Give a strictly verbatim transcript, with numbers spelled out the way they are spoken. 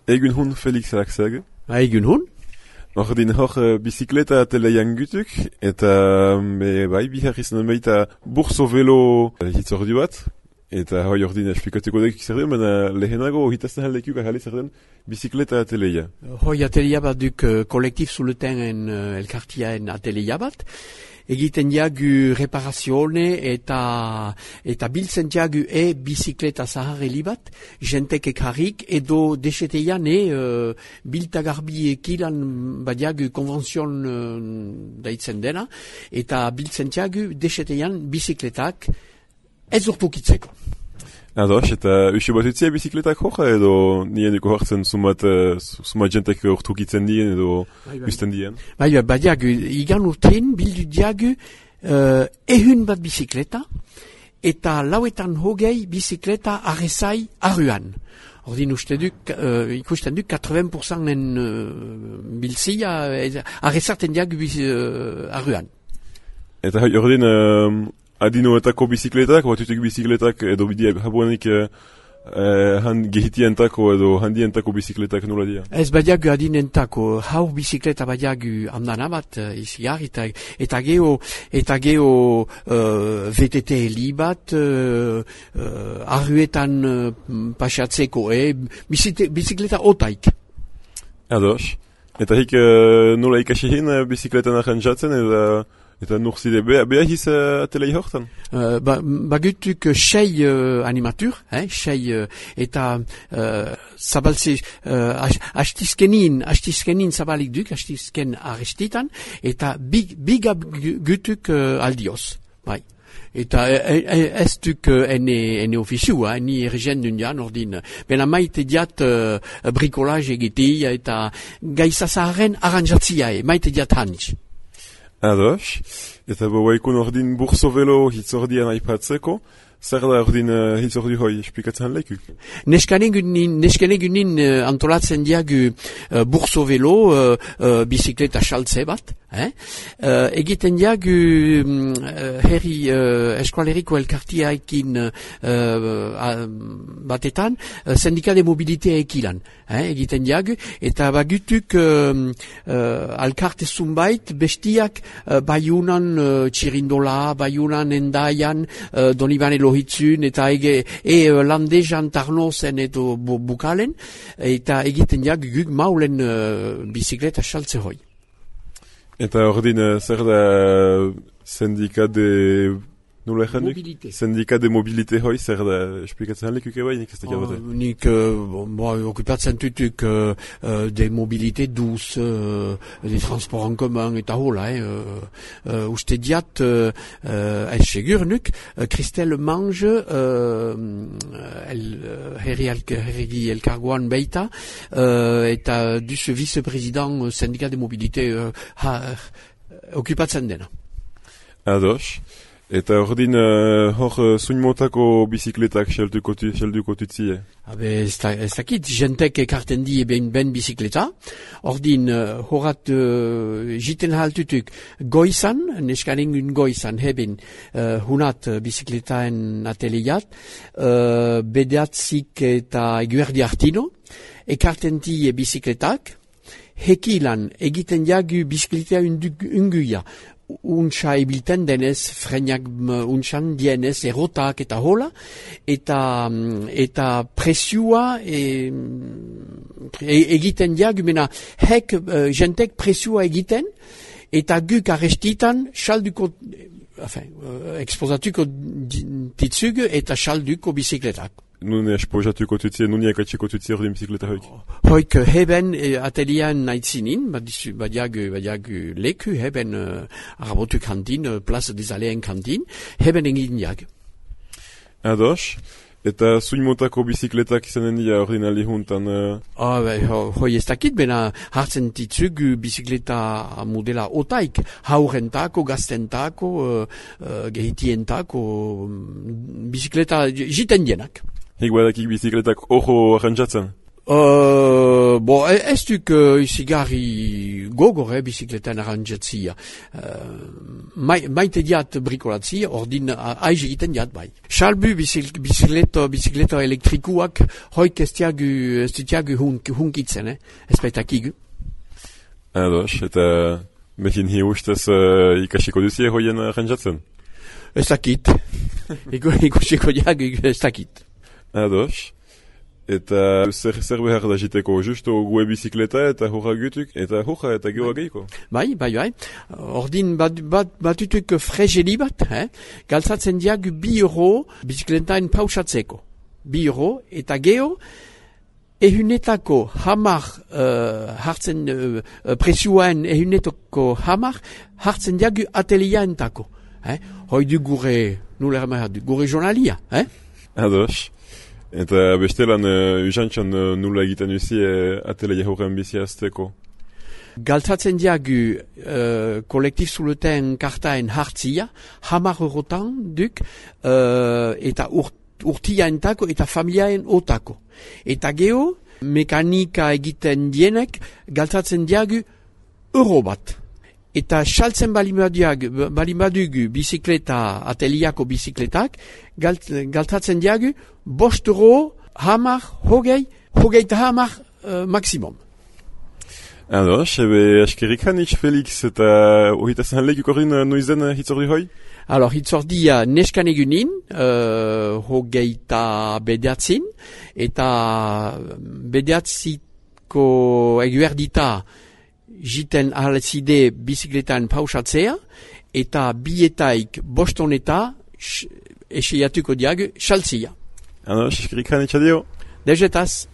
Egun hun Felix Axag. Egun hun? Ordin hor uh, bizikleta teleian gutuk, eta me, bai, bihar izan baita burso velo hitzordu bat, eta hoi ordin esplikatuko dek zer den, baina lehenago hitazten haldekuk ahale zer den bizikleta ateleia. Hoi ateleia bat duk uh, kolektif zuleten uh, elkartiaen ateleia bat, egiten diagu reparazione eta eta biltzen diagu e bizikleta zaharreli bat, jentek ekarrik edo deseteian e uh, biltagarbi ekilan badiagu konvenzion uh, daitzen dena, eta biltzen diagu deseteian bizikletak ez urtukitzeko. Ados, eta usi bat utzia bizikletak hoja edo nien duko hartzen sumat, uh, sumat jentek urtukitzen dien edo usten dien? Bai, bai, bai, diagu, igan urtein bildu diagu uh, ehun bat bizikleta eta lauetan hogei bizikleta arrezai arruan. Ordin uste duk, uh, ikusten duk, quatre-vingts pour cent en uh, bilzia arrezarten diagu uh, arruan. Eta ordin... Uh, Adinoetako bizikletak, batutuk bizikletak edo bidea habuenik eh, eh, han gehitientako edo handientako bizikletak nola dira? Ez badiagu adinentako, hau bizikleta badiagu andana bat uh, iziar, eta, eta geho, eta geho uh, V T T heli bat uh, uh, arruetan uh, pasatzeko, eh? Bizikleta otaik. Ados. Eta hik uh, nola ikasihin uh, bizikletan arrantzatzen edo... Eta nur zide, beha hiz uh, atelei hortan? Uh, ba, bagutuk sei uh, animatur, eh, sei, uh, eta uh, zabaltze, uh, hastizkenin, hastizkenin zabalik duk, hastizken arrestitan, eta bigab gutuk uh, aldioz, bai. Eta ez duk ene, ene ofiziua, ni ergen dundian ordin. Bena maite diat uh, bricolage egitea eta gaizazaren aranjatzia, maite diat hanitz. Ados, eta boaikun ordin burso velo hitzordian aipatzeko, zer da ordin uh, hitzordi hoi esplikatzen lekuk? Neskanegunin, neskanegunin uh, antolatzen diagu uh, burso velo uh, uh, bizikleta saltze bat, eh? uh, egiten diagu um, herri uh, eskualeriko elkartiaekin uh, uh, batetan, uh, sindika de mobilitea ekilan, eh? Egiten diagu, eta bagutuk uh, uh, alkarte zumbait bestiak uh, baiunan uh, txirindola, baiunan endaian, uh, donibane lohitzun, eta ege, e landejan tarnozen edo bu, bukalen, eta egiten diagu guk maulen uh, bizikleta saltze hoi. Eta ordin, zer da sindika de... Nola egin duk? Mobilite. Sindika de mobilite hoi, zer da esplikatzen lekuk eba, nik ez da gabate? Oh, nik uh, bon, okupatzen tutuk uh, uh, de mobilite duz, uh, de transport en commun eta hola, eh, uh, uh, uste diat, uh, uh, ez segur nuk, uh, Christelle Mange, uh, el, uh, herri, herri elkargoan beita, uh, eta duz vice-president sindika de mobilite uh, ha, okupatzen dena. Ados. Eta ordin, uh, hor uh, zuinmotako bizikletak xelduko tutzie? Habe, ez dakit, jentek ekarten die ben, ben bizikleta. Ordin, uh, horat uh, jiten haltutuk goizan, neskaningun goizan, heben uh, hunat uh, bizikletaen ateliat, uh, bedeatzik eta eguerdi hartino, ekarten die bizikletak, hekilan egiten jagu bizikletea unguia, untsa ebilten denez, frenak untsan dienez, erotak eta hola, eta, eta presiua e, e, egiten diagu, mena hek uh, jentek presiua egiten, eta guk arrestitan salduko, enfin, uh, exposatuko titzug eta salduko bizikletak. Nun esposatuko tutzie, nun ekatzeko tutzie ordin bizikleta hoik? Hoik heben eh, atelian naitzinin, badiagu, badiagu leku, heben uh, arabotu kantin, uh, plaza des Aléen kantin, heben egin diag. Ados, eta zuimotako bizikletak izanen dira ordin alihuntan? Uh... Oh, be, ho, hoi ez dakit, bena hartzen ditzug bizikleta modela otaik, haurentako, gaztentako, uh, uh, gehitientako, um, bizikleta jiten dienak. Hik badakik bizikletak ojo arrantzatzen? Uh, bo, ez duk uh, izigarri gogor, eh, bizikletan arrantzatzia. Uh, mai, maite diat brikolatzia, ordin uh, aiz egiten diat bai. Salbu bizik, bizikleto, bizikleto elektrikuak, hoik ez diagu, ez diagu hunk, hunkitzen, eh, ez baitakigu. Ados, eta mehin hi ustez uh, ikasiko duzie hoien arrantzatzen? Ez dakit. Ikusiko diagu ez dakit. Ados. Eta zer, zer behar da jiteko, justo gue bizikleta eta hurra gutuk, eta hurra eta geoa geiko. Bai, bai, bai. Ordin bat, bat, batutuk frezeli bat, eh? Galtzatzen diagu bi euro bizikletain pausatzeko. Bi euro, eta geo, ehunetako hamar uh, hartzen, uh, presioaen ehunetako hamar hartzen diagu ateliaentako. Eh? Hoi du gure, nula ermahar du, gure journalia, eh? Ados. Eta bestelan uh, usantxan uh, nula egiten uzi uh, atelier horren bizi azteko? Galtzatzen diagu uh, kolektif zuleten kartaen hartzia, hamar eurotan duk, uh, eta urt, urtiaentako eta familiaen otako. Eta geho, mekanika egiten dienek, galtzatzen diagu euro bat. Eta saltzen balimadugu bizikleta, ateliako bizikletak, galt, galtatzen diagu, bost euro, hamar, hogei, hogei eta hamar uh, maksimum. Ados, ebe askerik hanitz Felix eta ohitazan lehik ukorrin noizen hitzordi hoi? Alors, hitzordia neskan egunin, uh, hogei eta bedeatzin, eta bedeatziko eguerdita jiten ahalzide bizikletan pausatzea, eta bietaik bostoneta eseiatuko diagu xaltzia. Ados, askerik hanitz adio. Dejetaz.